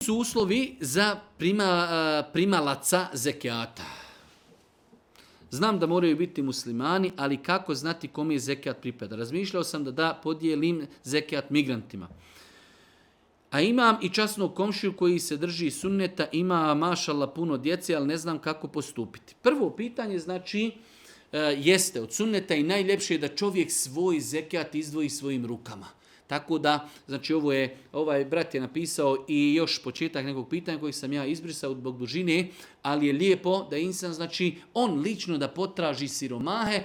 su uslovi za primalaca zekijata? Znam da moraju biti muslimani, ali kako znati kome je zekijat pripada? Razmišljao sam da podijelim zekijat migrantima. A imam i časnog komšiju koji se drži sunneta, ima mašallah puno djece, ali ne znam kako postupiti. Prvo pitanje znači jeste od sunneta i najljepše je da čovjek svoj zekijat izdvoji svojim rukama. Tako da, znači ovaj brat je napisao i još početak nekog pitanja kojeg sam ja izbrisao zbog dužine, ali je lijepo da insan, znači on lično da potraži siromahe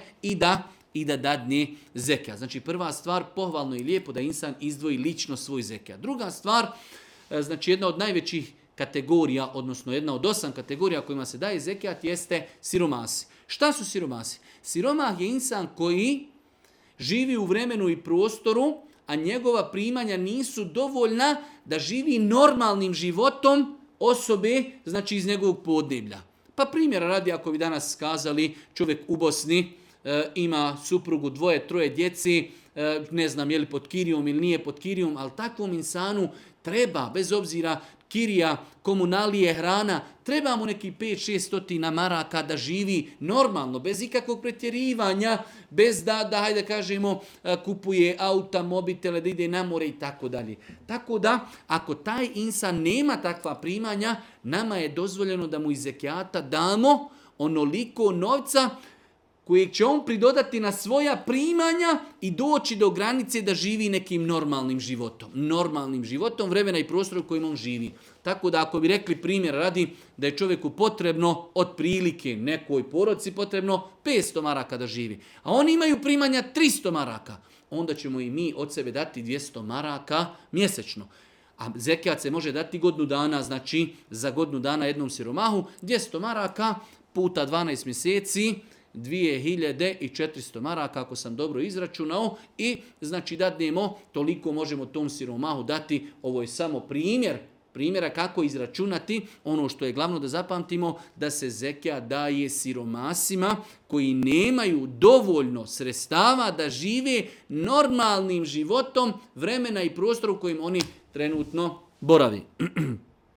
i da dadne zekijat. Znači prva stvar, pohvalno i lijepo da insan izdvoji lično svoj zekijat. Druga stvar, znači jedna od najvećih kategorija, odnosno jedna od 8 kategorija kojima se daje zekijat jeste siromasi. Šta su siromasi? Siromah je insan koji živi u vremenu i prostoru, a njegova primanja nisu dovoljna da živi normalnim životom osobe, znači iz njegovog podneblja. Pa primjera radi, ako bi danas skazali čovjek u Bosni, ima suprugu, 2, 3 djeci, ne znam je li pod kirijom ili nije pod kirijom, ali takvom insanu treba, bez obzira kirija, komunalije, hrana, treba mu neki 5-6 maraka da živi normalno, bez ikakvog pretjerivanja, bez da hajde kažemo, kupuje auta, mobitele, da ide na more i tako dalje. Tako da, ako taj insan nema takva primanja, nama je dozvoljeno da mu iz zekijata damo onoliko novca kojeg će on pridodati na svoja primanja i doći do granice da živi nekim normalnim životom. Normalnim životom, vremena i prostora u kojem on živi. Tako da ako bi rekli primjer radi da je čovjeku potrebno otprilike nekoj porodici potrebno 500 maraka da živi, a oni imaju primanja 300 maraka, onda ćemo i mi od sebe dati 200 maraka mjesečno. A zekijat se može dati godinu dana, znači za godinu dana jednom siromahu, 200 maraka puta 12 mjeseci, 2400 maraka, ako sam dobro izračunao, i znači dadnemo, toliko možemo tom siromahu dati. Ovo je samo primjera kako izračunati. Ono što je glavno da zapamtimo, da se zekijat daje siromasima koji nemaju dovoljno sredstava da žive normalnim životom vremena i prostora u kojim oni trenutno boravi.